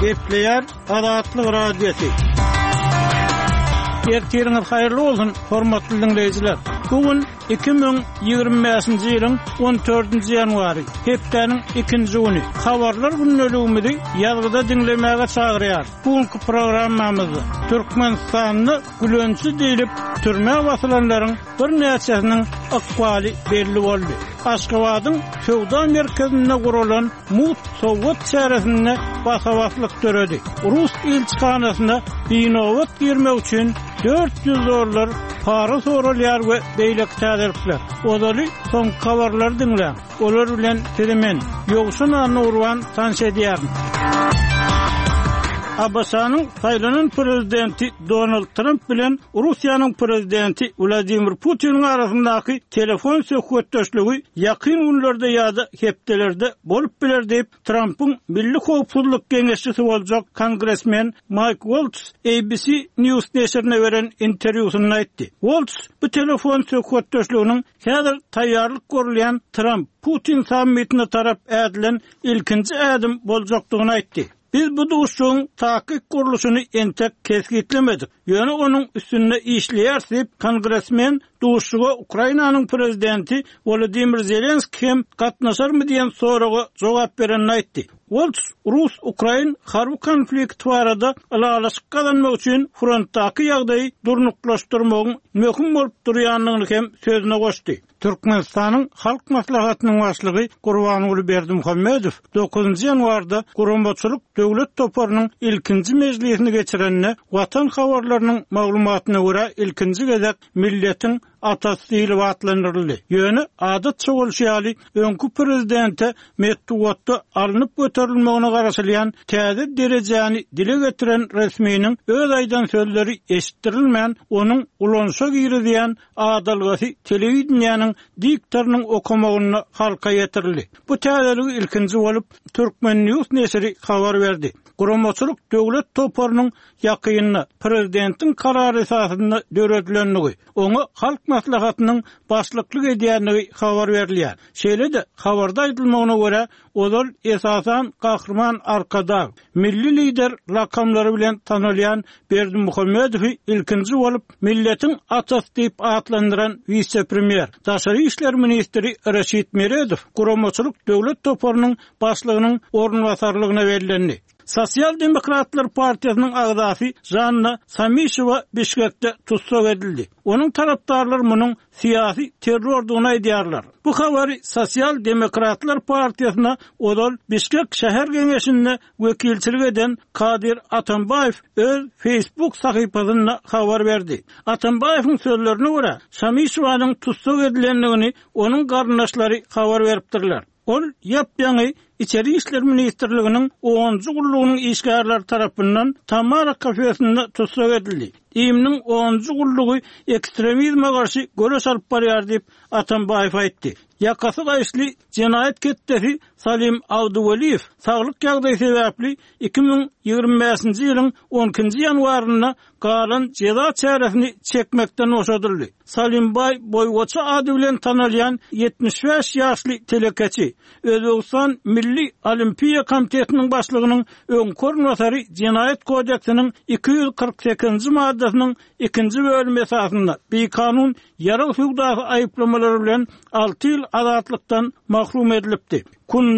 Gepleýär Azatlyk Radiosy. Ertiriňiz haýyrly bolsun, hormatly diňleýjiler! Bu gün 2025-nji ýylyň 14-nji ýanwary, hepdäniň ikinji güni. Habarlar gündeligimizi ýazgyda diňlemäge çagyrýarys. Bu günki programmamyzda Türkmenistanda gülençi diýlip türmä basylanlaryň birnäçesiniň ykbaly belli boldy. Aşgabadyň söwda merkezinde guralan mugt sowgat çäresinde basa-baslyk döredi. Rus ilçihanasyna binobat girmek üçin 400 dollar para soralýar we beýleki täzelikler. Ozaly soňky habarlary diňläň. Olar bilen sizi men, Ýowşan Annagurban tanyş edýärin. ABŞ-nyň saýlanan prezidenti Donald Tramp bilen Russiýanyň prezidenti Wladimir Putiniň arasyndaky telefon söhbetdeşligi ýakyn günlerde ýa-da hepdelerde bolup biler diýip, Trampyň milli howpsuzlyk geňeşçisi boljak kongresmen Maýk Woltz ABC News neşirine beren interwýusynda aýtdy. Woltz bu telefon söhbetdeşliginiň häzir taýýarlyk görülýän Tramp, Putin sammitine tarap ädilen ilkinji ädim boljakdygyny aýtdy. Biz bu duşuşygyň takyk gurluşyny entek kesgitlemedik, ýöne onuň üstünde işleýäris diýip, kongresmen duşuşyga Ukrainanyň prezidenti Wolodymyr Zelenskiý hem gatnaşarmy diýen soraga jogap berende aýtdy. Woltz rus-ukrain harby konflikti barada ylalaşyk gazanmak üçin frontdaky ýagdaýy durnuklaşdyrmagyň möhüm bolup durýandygyny hem sözüne goşdy. Türkmenistanyň Halk Maslahatynyň Başlygy Gurbanguly Berdimuhamedow dokuzynjy ýanwarda Guramaçylyk döwlet toparynyň ilkinji mejlisini geçirende, Watan habarlarynyň maglumatyna görä, ilkinji gezek milletiň atasy diýlip atlandyryldy. Ýöne, adatça bolşy ýaly, öňki prezidente metbugatda alnyp göterilmegine garaşylýan täze derejäni dile getiren resminiň öz aýdan sözleri eşitdirilmän, onuň ulanyşa girizýän adalgasy telewideniýäniň diktorynyň okamagynda halka ýetirildi. Bu täzeligi ilkinji bolup, Turkmen. News neşiri habar berdi. Guramaçylyk döwlet toparynyň ýakynda prezidentiň karary esasynda döredilendigi, oňa Halk Maslahatynyň başlyklyk edýändigi habar berilýär. Şeýle-de, habarda aýdylmagyna görä, ozal esasan Gahryman Arkadag, Milli Lider lakamlary bilen tanalýan Berdimuhamedowy ilkinji bolup milletiň atasy diýip atlandyran wise-premýer, daşary işler ministri Reşit Meredow guramaçylyk döwlet toparynyň başlygynyň orunbasarlygyna bellendi. Sosial demokratlar partiýasynyň agzasy Žanna Samişewa Bişkekde tussag edildi. Onuň tarapdarlary munuň syýasy terrordygyny aýdýarlar. Bu habary Sosial demokratlar partiýasyna ozal Bişkek şäher geňeşinde wekilçilik eden Kadyr Atambaýew öz Facebook sahypasynda habar berdi. Atambaýewiň sözlerine görä, Şamişewanyň tussag edilendigini onuň garyndaşlary habar beripdirler. Ol ýap-ýaňy Içeri işler ministrliginiň onunjy gullugynyň işgärleri tarapyndan Tamara kafesinde tussag edildi. IIM-niň onunjy gullugy ekstremizme garşy göreş alyp barýar diýip, Atambaýew aýtdy. Ýakasy gaýyşly jenaýat ketdesi Salim Abduweliýew saglyk ýagdaýy sebäpli 2025-nji ýylyň on ikinji ýanwarynda galan jeza çäresini çekmekden boşadyldy. Salimbaý Boýwaça ady bilen tanalýan 75 ýaşly telekeçi, Özbegistan Milli Olimpiýa komitetiniň başlygynyň öňki orunbasary Jenaýat kodeksiniň 248-nji maddasynyň ikinji bölümi esasynda bikanun ýarag söwdasy aýyplamalary bilen alty ýyl azatlykdan mahrum edilipdi. Kun.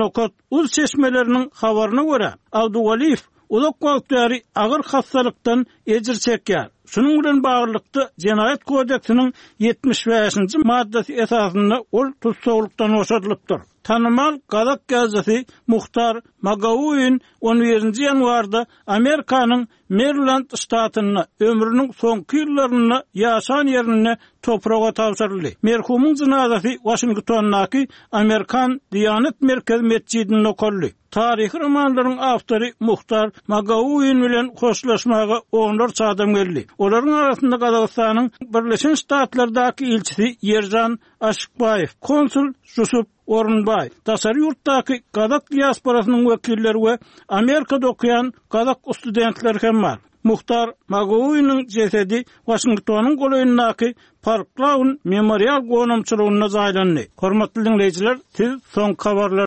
Uz çeşmeleriniň habaryna görä, Abduwaliýew uzak wagt bäri agyr hassalykdan ejir çekýär. Şunuň bilen baglylykda, Jenaýat kodeksiniň 75-nji maddasy esasynda ol tussaglykdan boşadylypdyr. Tanymal gazak ýazyjysy Muhtar Magauin on birinji ýanwarda Amerikanyň Meriland ştatynda ömrüniň soňky ýyllarynda ýaşan ýerinde topraga tabşyryldy. Merhumyň jynazasy Waşingtondaky Amerikan Diýanet merkezi metjidinde okaldy. Taryhy romanlaryň awtory Muhtar Magauin bilen hoşlaşmaga onlarça adam geldi. Olaryň arasynda Gazagystanyň Birleşen Ştatlardaky ilçisi Ýeržan Aşykbaýew, konsul Žusup Orunbaý, daşary ýurtdaky gazak diasporasynyň wekilleri we Amerikada okaýan gazak studentleri hem bar. Muhtar Magouiniň jesedi Waşingtonyň golaýyndaky Park Lawn memorial gonamçylygynda jaýlandy. Hormatly diňleýjiler, siz soňky habarlary.